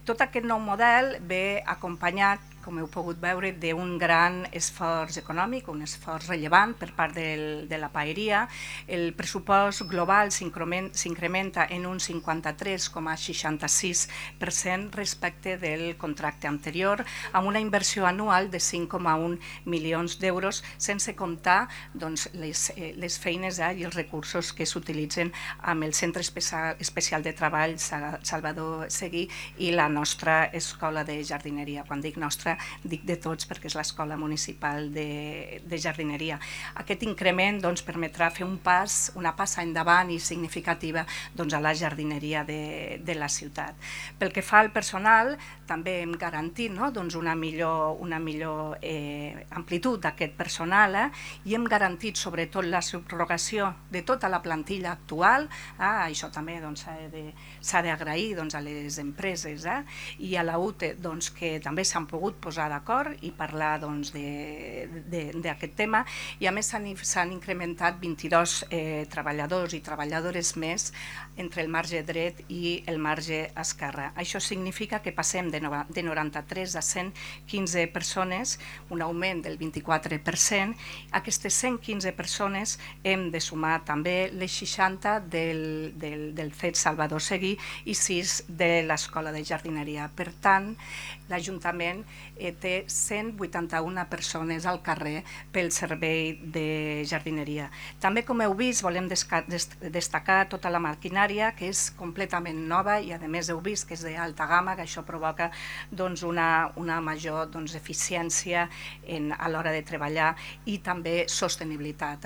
Tot aquest nou model ve acompanyat, com heu pogut veure, d'un gran esforç econòmic, un esforç rellevant per part de la paeria. El pressupost global s'incrementa en un 53,66% respecte del contracte anterior, amb una inversió anual de 5,1 milions d'euros, sense comptar les feines i els recursos que s'utilitzen amb el Centre Especial de Treball Salvador Seguí i la nostra Escola de Jardineria. Quan dic nostra, dic de tots, perquè és l'Escola Municipal de Jardineria. Aquest increment permetrà fer una passa endavant i significativa a la jardineria de la ciutat. Pel que fa al personal, també hem garantit una millor amplitud d'aquest personal i hem garantit sobretot la subrogació de tota la plantilla actual. Això també s'ha d'agrair a les empreses i a la UTE, que també s'han pogut posar d'acord i parlar d'aquest tema, i a més s'han incrementat 22 treballadors i treballadores més entre el marge dret i el marge esquerre. Això significa que passem de 93 a 115 persones, un augment del 24%. Aquestes 115 persones hem de sumar també les 60 del CET Salvador Seguí i 6 de l'Escola de Jardineria. Per tant, l'Ajuntament té 181 persones al carrer pel servei de jardineria. També, com heu vist, volem destacar tota la maquinària, que és completament nova i, a més, heu vist que és d'alta gamma, que això provoca una major eficiència a l'hora de treballar i també sostenibilitat.